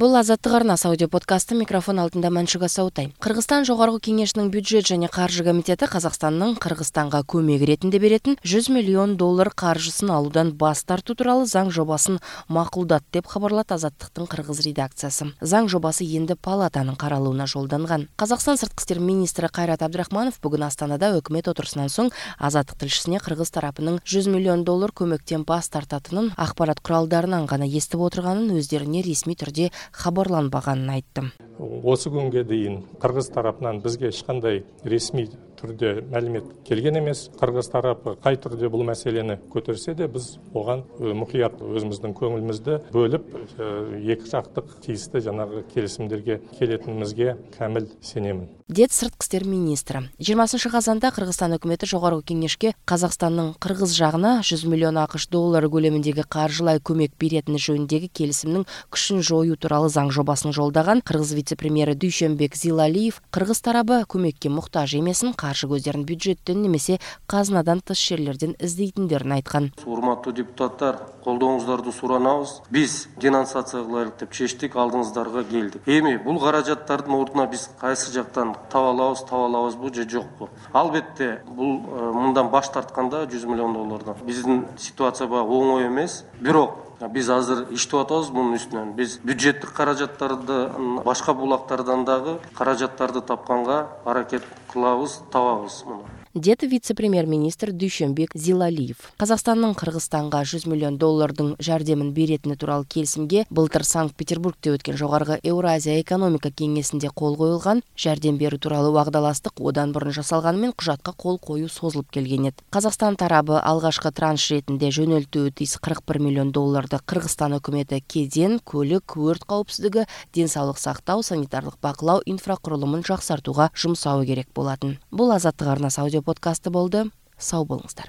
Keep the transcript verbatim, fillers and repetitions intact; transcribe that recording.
Бул Азаттык арнасы аудио подкасты, микрофон алдында Маншуга Саутай. Кыргызстан Жогорку Кеңешинин бюджет жана каржы комитети Казакстандын Кыргызстанга көмөк иретинде беретін жүз миллион доллар каржысын алуудан бас тартуу тууралуу заң жобасын макулдады деп кабарлат Азаттыктын кыргыз редакциясы. Заң жобасы энди палатанын каралууна жолдонгон. Казакстан сырткы иштер министри Кайрат Абдрахманов бүгүн Астанада өкмөт отурусунан соң Азаттык тилшисине кыргыз тарапынын жүз миллион доллар көмөктөн бас тартатынын акпарат куралдарынан гана эстип отурганын өздөрүнө ресми түрдө хабарланбаганын айтты. Осы күнгө дейин кыргыз тарапынан бизге эч кандай ресми түрдө маалымат келген эмес. Кыргыз тарапы кай түрдө бул маселени көтөрсө да, биз оган мукуят өзүбүздүн көңүлүбүздү бөлүп, эки жактык тийиштүү жанагы келишимдерге келетинибизге камил сенемин. Дед сырткы иштер министри. жыйырмасынчы казанда Кыргызстан өкмөтү Жогорку Кеңешке Казакстандын кыргыз жагына жүз миллион акш доллары көлөмүндөгү каржылай көмөк беретини жөнүндөгү келисимдин күчүн жоюу тууралуу заң жобасын жолдогон. Кыргыз вице-премьери Дүйшөнбек Зилалиев кыргыз тарабы көмөккө муктаж эмесин, каржы көздөрүн бюджеттен немесе казынадан тыш жерлерден издейтиндерин айткан. Урматтуу депутаттар, колдооңуздарды суранабыз. Биз денонсация кылайлык деп чечтик, алдыңыздарга келдик. Эми бул каражаттардын ордуна биз кайсы жактан таба алабыз, таба алабызбы же жокпу? Албетте, бул мындан баш тартканда жүз миллион доллардан. Биздин ситуация баягы оңой эмес, бирок биз азыр иштеп атабыз мунун үстүнөн. Биз бюджеттик каражаттарды башка булактардан дагы каражаттарды тапканга аракет кылабыз, табабыз муну. Дед вице-премьер-министр Дүйшөнбек Зилалиев. Казакстандын Кыргызстанга жүз миллион доллардын жардамын беретини тууралуу келисимге былтыр Санкт-Петербургде өткөн жогорку Евразия экономика кеңесинде кол коюлган. Жардам берүү тууралуу угдалаштык одан бурун жасалганы менен кужатка кол коюу созулуп келген эди. Казакстан тарабы алгачкы транш ретинде жөнөлтүү тиз кырк бир миллион долларды Кыргызстан өкмөтү кеден, көлүк, өрт каупсиздиги, ден соолук сактоо, санитардык бакылоо инфракурулумун жаксартууга жумсоо керек болатын. Бул Азаттык арнасы аудио подкасты болду. Сау болуңуздар.